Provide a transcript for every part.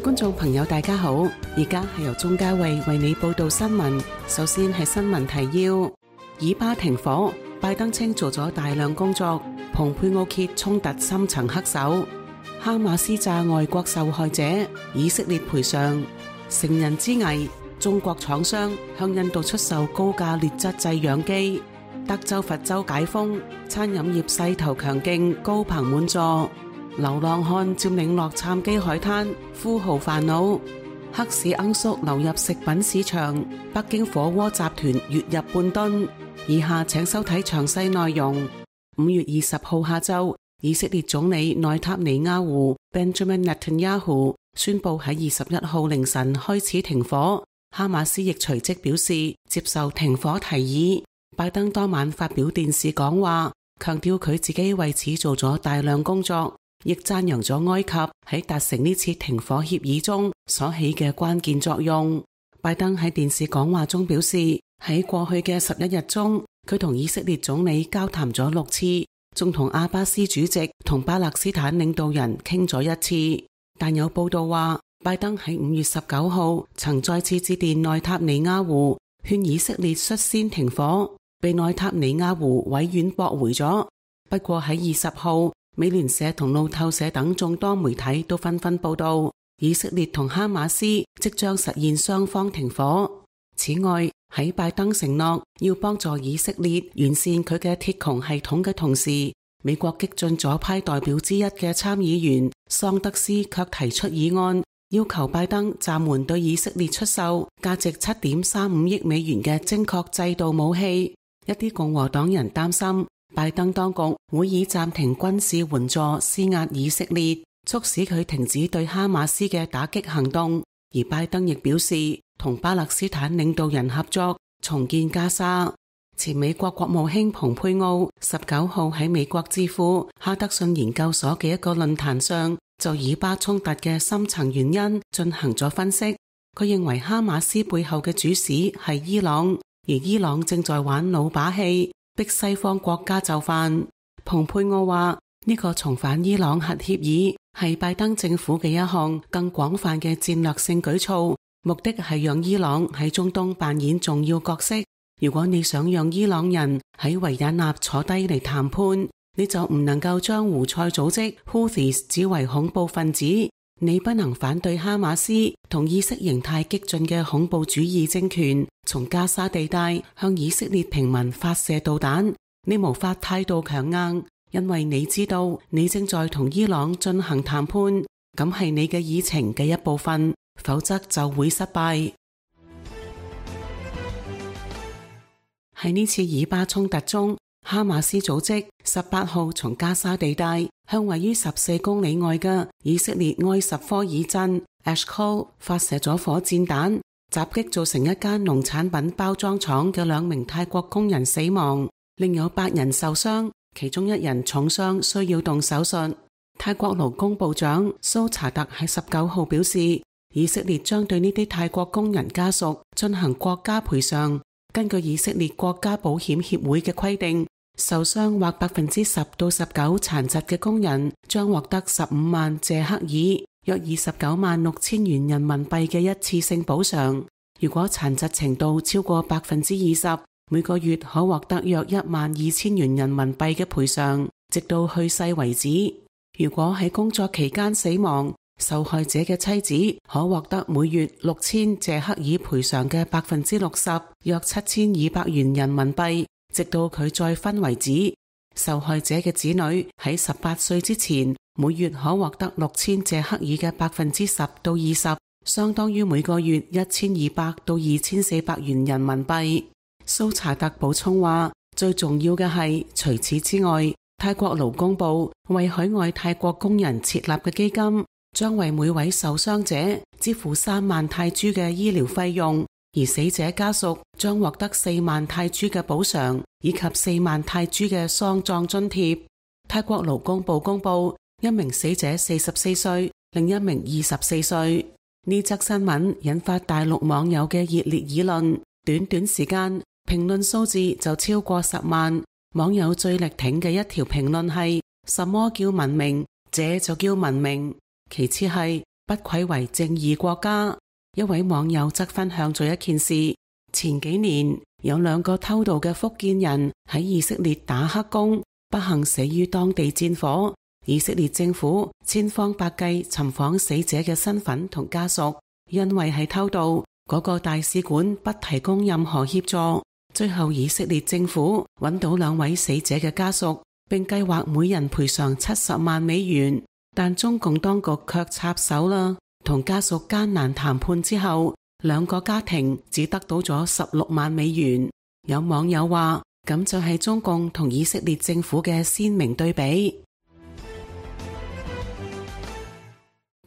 觀眾朋友大家好，而家係由鍾嘉慧為你報道新聞。首先係新聞提要：以巴停火，拜登稱做咗大量工作，蓬佩奧揭衝突深層黑手，哈馬斯炸外國受害者，以色列賠償。成人之危，中國廠商向印度出售高價劣質製氧機。德州佛州解封，餐飲業勢頭強勁，高朋滿座。流浪漢佔領洛杉磯海灘，富豪煩惱。黑市罌粟流入食品市場，北京火鍋集團月入半噸。以下請收睇詳細內容。5月20號下晝，以色列總理內塔尼亞胡 Benjamin Netanyahu 宣布喺21號凌晨開始停火，哈馬斯亦隨即表示接受停火提議。拜登當晚發表電視講話，強調佢自己為此做咗大量工作，亦讚揚咗埃及喺達成呢次停火協議中所起嘅關鍵作用。拜登喺電視講話中表示，喺過去嘅11日中，佢同以色列總理交談咗6次，仲同阿巴斯主席同巴勒斯坦領導人傾咗1次。但有報道話，拜登喺5月19號曾再次致電內塔尼亞胡，勸以色列率先停火，被內塔尼亞胡委婉駁回咗。不過喺20號，美聯社同路透社等眾多媒體都紛紛報道，以色列同哈馬斯即將實現雙方停火。此外，喺拜登承諾要幫助以色列完善佢嘅鐵穹系統嘅同時，美國激進左派代表之一嘅參議員桑德斯卻提出議案，要求拜登暫緩對以色列出售價值7.35億美元嘅精確制導武器。一啲共和黨人擔心拜登當局會以暫停軍事援助施壓以色列，促使佢停止對哈馬斯嘅打擊行動。而拜登亦表示同巴勒斯坦領導人合作重建加沙。前美國國務卿蓬佩奧19號喺美國智庫哈德遜研究所嘅一個論壇上，就以巴衝突嘅深層原因進行咗分析。佢認為哈馬斯背後嘅主使係伊朗，而伊朗正在玩老把戲，逼西方國家就範。蓬佩奧話，呢個重返伊朗核協議係拜登政府嘅一項更廣泛嘅戰略性舉措，目的係讓伊朗喺中東扮演重要角色。如果你想讓伊朗人喺維也納坐低嚟談判，你就唔能夠將胡塞組織 Houthis 指為恐怖分子。你不能反對哈馬斯同意識形態激進嘅恐怖主義政權從加沙地帶向以色列平民發射導彈。你無法態度強硬，因為你知道你正在同伊朗進行談判，咁係你嘅議程嘅一部分，否則就會失敗。喺呢次以巴衝突中，哈馬斯組織18號從加沙地帶向位於14公里外嘅以色列埃什科爾鎮 Eshkol 發射咗火箭彈，襲擊造成一間農產品包裝廠嘅2名泰國工人死亡，另有8人受傷，其中1人重傷需要動手術。泰國勞工部長蘇查特喺19號表示，以色列將對呢啲泰國工人家屬進行國家賠償。根據以色列國家保險協會嘅規定，受傷或10%到19%殘疾嘅工人將獲得15萬謝克爾，約29萬6千元人民幣嘅一次性補償。如果殘疾程度超過20%，每個月可獲得約12000元人民幣嘅賠償，直到去世為止。如果喺工作期間死亡，受害者嘅妻子可獲得每月6000謝克爾賠償嘅60%，約7200元人民幣，直到佢再婚為止。受害者嘅子女喺18歲之前，每月可獲得6000謝克爾嘅10%到20%，相當於每個月1200到2400元人民幣。蘇查特補充話，最重要嘅係，除此之外，泰國勞工部為海外泰國工人設立嘅基金，將為每位受傷者支付3萬泰銖嘅醫療費用，而死者家屬將獲得4萬泰銖嘅補償，以及4萬泰銖嘅喪葬津貼。泰國勞工部公布，一名死者44歲，另一名24歲。呢則新聞引發大陸網友嘅熱烈議論，短短時間，評論數字就超過10萬。網友最力挺嘅一條評論係：什麼叫文明？這就叫文明。其次係不愧為正義國家。一位網友則分享咗一件事，前幾年有2個偷渡嘅福建人喺以色列打黑工，不幸死於當地戰火。以色列政府千方百計尋訪死者嘅身份同家屬，因為係偷渡，嗰個大使館不提供任何協助。最後以色列政府揾到2位死者嘅家屬，並計劃每人賠償70萬美元，但中共當局卻插手啦。同家屬艱難談判之後，2個家庭只得到咗16萬美元。有網友話，咁就係中共同以色列政府嘅鮮明對比。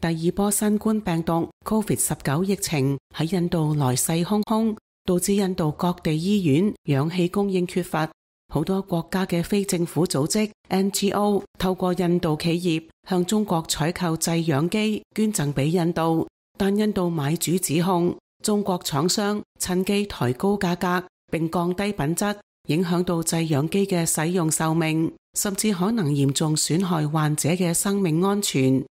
第2波新冠病毒 COVID-19 疫情喺印度來勢洶洶，導致印度各地醫院氧氣供應缺乏。好多國家嘅非政府組織 NGO 透過印度企業向中國採購製氧機捐贈俾印度，但印度買主指控中國廠商趁機抬高價格並降低品質，影響到製氧機嘅使用壽命，甚至可能嚴重損害患者嘅生命安全。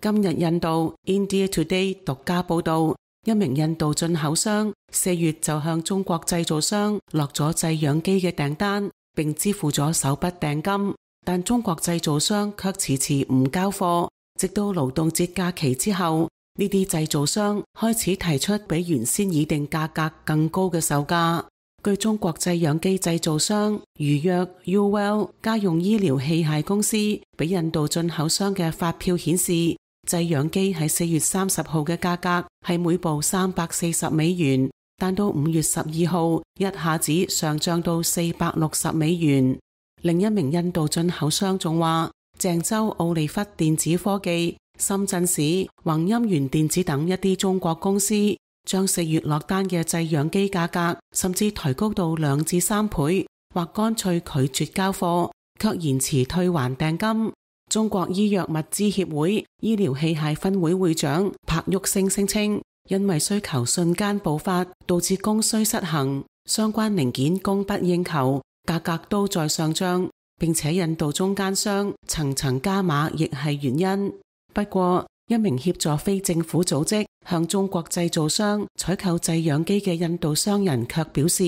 今日印度 India Today 獨家報道，一名印度進口商4月就向中國製造商落咗製氧機嘅訂單，並支付咗首筆訂金，但中國製造商卻遲遲唔交貨，直到勞動節假期之後，呢啲製造商開始提出比原先擬定價格更高嘅售價。據中國製氧機製造商如約 UWell 家用醫療器械公司俾印度進口商嘅發票顯示，製氧機喺4月30號嘅價格係每部340美元，但到5月12號一下子上漲到460美元。另一名印度進口商仲話，鄭州奧利弗電子科技、深圳市宏鑫源電子等一啲中國公司將4月落單嘅製氧機價格甚至抬高到2至3倍，或乾脆拒絕交貨，卻延遲退還訂金。中國醫藥物資協會醫療器械分會會長柏旭星聲稱，因為需求瞬間爆發，導致供需失衡，相關零件供不應求，價格都在上漲，並且印度中間商層層加碼亦係原因。不過，一名協助非政府組織向中國製造商採購製氧機嘅印度商人卻表示，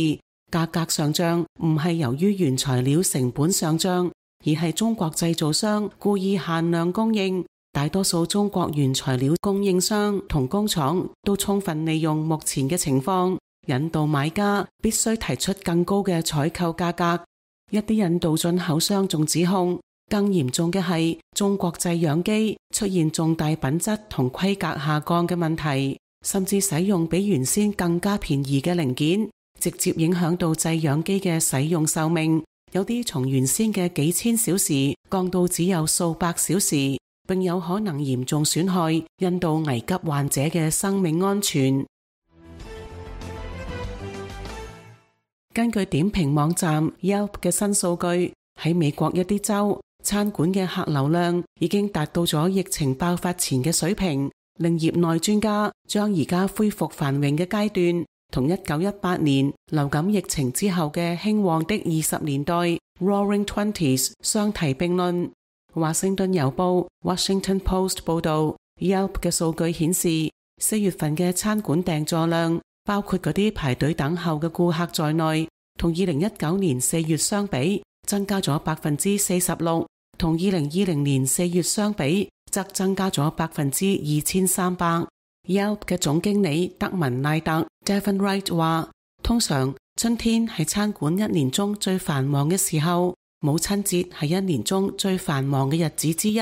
價格上漲唔係由於原材料成本上漲，而係中國製造商故意限量供應。大多數中國原材料供應商同工廠都充分利用目前嘅情況，引導買家必須提出更高嘅採購價格。一啲印度進口商仲指控，更嚴重嘅係中國製氧機出現重大品質同規格下降嘅問題，甚至使用比原先更加便宜嘅零件，直接影響到製氧機嘅使用壽命。有啲從原先嘅幾千小時降到只有數百小時，並有可能嚴重損害印度危急患者嘅生命安全。根據點評網站 Yelp 嘅新數據，喺美國一啲州，餐館嘅客流量已經達到咗疫情爆發前嘅水平，令業內專家將而家恢復繁榮嘅階段同1918年流感疫情之後嘅興旺的20年代 Roaring Twenties 相提並論。華盛頓郵報 Washington Post 報道， Yelp 嘅數據顯示，4月份嘅餐館訂座量，包括嗰啲排隊等候嘅顧客在內，同2019年4月相比增加咗 46%， 同2020年4月相比則增加咗 2300%。Yelp 嘅總經理德文賴特 Devin Wright 話，通常春天係餐館一年中最繁忙嘅時候，母親節係一年中最繁忙嘅日子之一，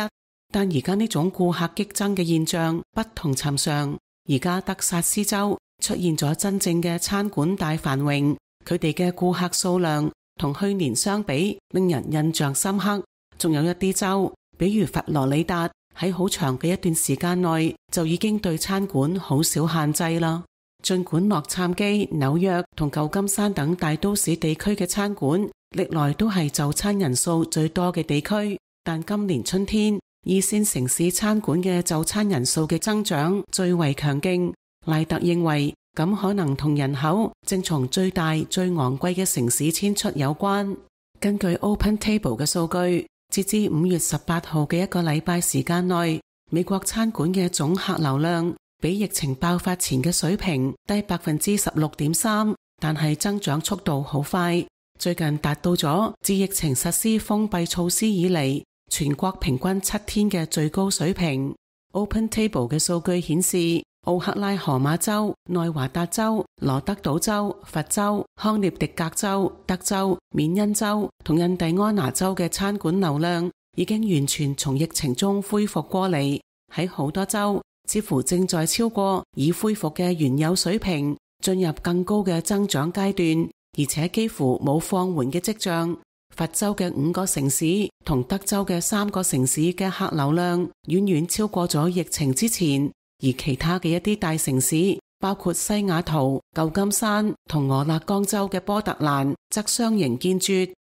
但而家呢種顧客激增嘅現象不同尋常。而家德薩斯州出現咗真正嘅餐館大繁榮，佢哋嘅顧客數量同去年相比令人印象深刻。仲有一啲州，比如佛羅里達，喺好長嘅一段時間內就已經對餐館好少限制啦。儘管洛杉磯、紐約同舊金山等大都市地區嘅餐館歷來都係就餐人數最多嘅地區，但今年春天二線城市餐館嘅就餐人數嘅增長最為強勁。賴特認為咁可能同人口正從最大最昂貴嘅城市遷出有關。根據 Open Table 嘅數據，截至5月18號嘅一個禮拜時間內，美國餐館嘅總客流量比疫情爆發前嘅水平低 16.3%， 但係增長速度好快，最近達到咗自疫情實施封閉措施以嚟全國平均7天嘅最高水平。OpenTable 嘅數據顯示，奧克拉荷馬州、內華達州、羅德島州、佛州、康涅狄格州、德州、緬因州同印第安納州嘅餐館流量已經完全從疫情中恢復過嚟，喺好多州似乎正在超過已恢復嘅原有水平，進入更高嘅增長階段，而且幾乎冇放緩嘅跡象。佛州嘅5個城市同德州嘅3個城市嘅客流量遠遠超過咗疫情之前，而其他嘅一啲大城市，包括西雅圖、舊金山同俄勒岡州嘅波特蘭，則相形見絀。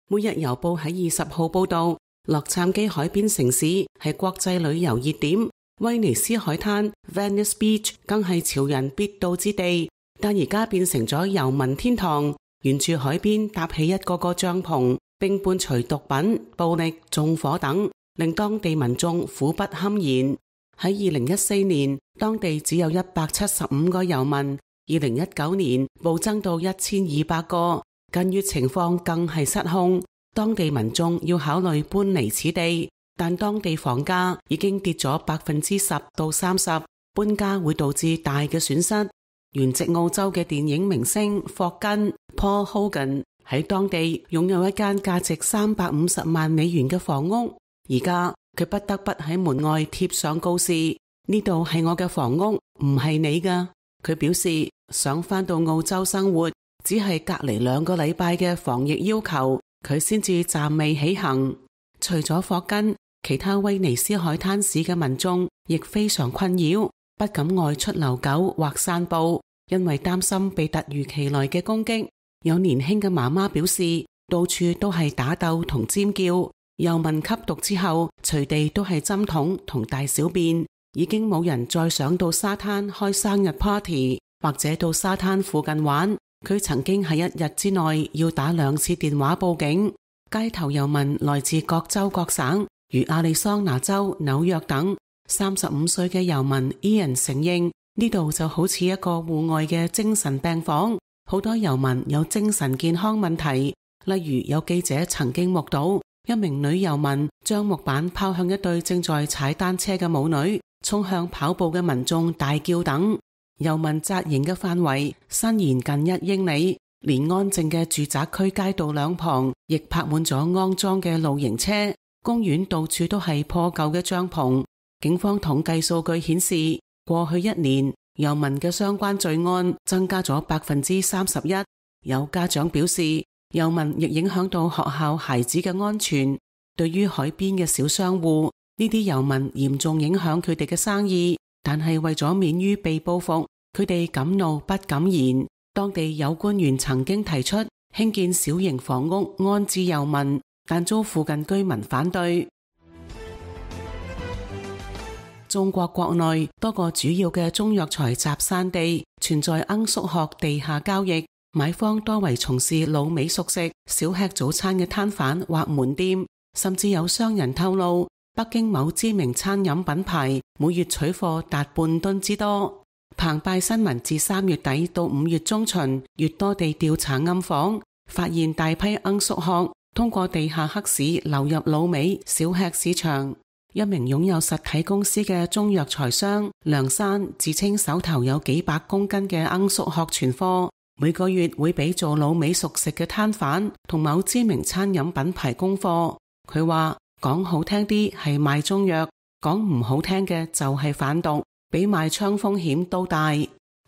每日郵報喺20號報道，洛杉磯海邊城市係國際旅遊熱點，威尼斯海灘 Venice Beach 更係潮人必到之地，但而家變成咗遊民天堂，沿住海邊搭起一個個帳篷，並伴隨毒品、暴力、縱火等，令當地民眾苦不堪言。喺2014年，當地只有175個遊民，2019年暴增到1200個，近月情況更係失控。當地民眾要考慮搬離此地，但當地房價已經跌咗10%到30%，搬家會導致大嘅損失。原籍澳洲嘅電影明星霍根 Paul Hogan 喺當地擁有一間價值350萬美元嘅房屋，而家佢不得不喺門外貼上告示：呢度係我嘅房屋，唔係你㗎。佢表示想返到澳洲生活，只係隔離2個禮拜嘅防疫要求，佢先至暫未起行。除咗霍根，其他威尼斯海灘市嘅民眾亦非常困擾，不敢外出遛狗或散步，因為擔心被突如其來嘅攻擊。有年輕嘅媽媽表示，到處都係打鬥同尖叫，遊民吸毒之後，隨地都係針筒同大小便，已經冇人再想到沙灘開生日 party 或者到沙灘附近玩。佢曾經喺1日之內要打2次電話報警。街頭遊民來自各州各省，如亞利桑那州、紐約等。35歲嘅遊民 Ian 承認，呢度就好似一個戶外嘅精神病房，好多遊民有精神健康問題。例如有記者曾經目睹一名女遊民將木板拋向一對正在踩單車嘅母女，衝向跑步嘅民眾大叫等。遊民紮營嘅範圍伸延近1英里，連安靜嘅住宅區街道兩旁亦泊滿咗骯髒嘅露營車，公園到處都係破舊嘅帳篷。警方統計數據顯示，過去1年遊民嘅相關罪案增加咗31%。有家長表示，遊民亦影響到學校孩子嘅安全。對於海邊嘅小商戶，呢啲遊民嚴重影響佢哋嘅生意，但係為咗免於被報復，佢哋敢怒不敢言。當地有官員曾經提出興建小型房屋安置遊民，但遭附近居民反對。中國國內多個主要嘅中藥材集散地存在罌粟殼地下交易，買方多為從事老美熟食、小吃早餐嘅攤販或門店，甚至有商人透露，北京某知名餐飲品牌每月取貨達半噸之多。澎湃新聞自3月底到5月中旬，越多地調查暗訪，發現大批罌粟殼通過地下黑市流入老美小吃市場。一名擁有實體公司嘅中藥材商梁山自稱手頭有幾百公斤嘅罌粟殼存貨，每個月會俾做老美熟食嘅攤販同某知名餐飲品牌供貨。佢話講好聽啲係賣中藥，講唔好聽嘅就係販毒，比賣槍風險都大。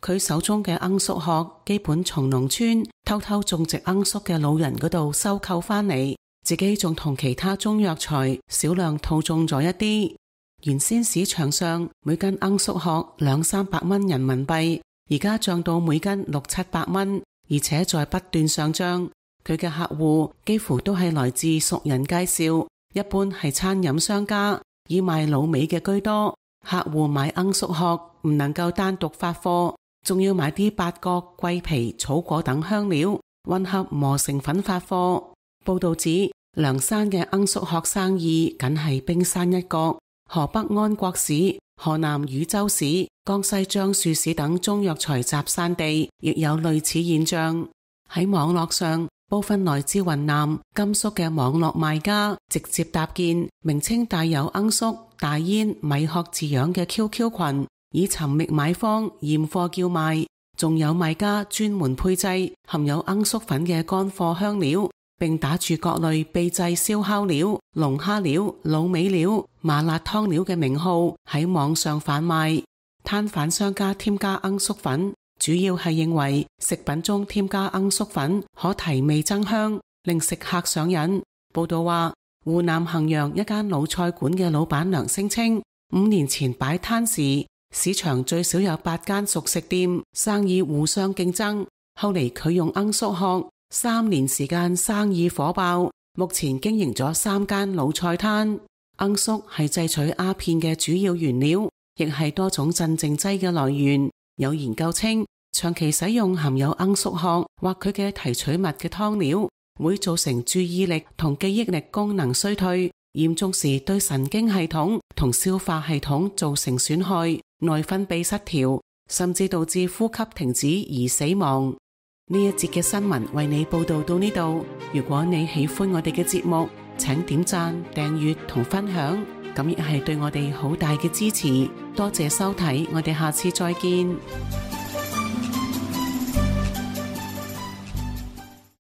佢手中嘅罌粟殼基本從農村偷偷種植罌粟嘅老人嗰度收購翻嚟，自己仲同其他中藥材少量套種咗一啲。原先市場上每斤罌粟殼200-300蚊人民幣，而家漲到每斤600-700蚊，而且在不斷上漲。佢嘅客戶幾乎都係來自熟人介紹，一般係餐飲商家，以賣老美嘅居多。客戶買罌粟殼唔能夠單獨發貨，仲要買啲八角、桂皮、草果等香料混合磨成粉發貨。報道指涼山嘅罌粟殼生意僅係冰山一角，河北安國市、河南禹州市、江西樟樹市等中藥材集散地亦有類似現象。喺網絡上，部分來自雲南、甘肅嘅網絡賣家直接搭建名稱帶有罌粟、大煙、米殼字樣嘅 QQ 群，以尋覓買方驗貨叫賣。仲有賣家專門配製含有罌粟粉嘅乾貨香料，並打住各類秘製燒烤料、龍蝦料、滷味料、麻辣湯料嘅名號喺網上販賣。攤販商家添加罌粟粉，主要係認為食品中添加罌粟粉可提味增香，令食客上癮。報道話，湖南衡陽一間魯菜館嘅老闆娘聲稱，5年前擺攤時，市場最少有8間熟食店，生意互相競爭。後嚟佢用罌粟殼，3年時間生意火爆，目前經營咗3間魯菜攤。罌粟係製取鴉片嘅主要原料，亦係多種鎮靜劑嘅來源。有研究稱，長期使用含有罌粟殼或佢嘅提取物嘅湯料，會造成注意力同記憶力功能衰退，嚴重時對神經系統同消化系統造成損害，內分泌失調，甚至導致呼吸停止而死亡。呢一節嘅新聞為你報道到呢度。如果你喜歡我哋嘅節目，請點讚、訂閱同分享，咁亦係對我哋好大嘅支持。多謝收睇，我哋下次再見。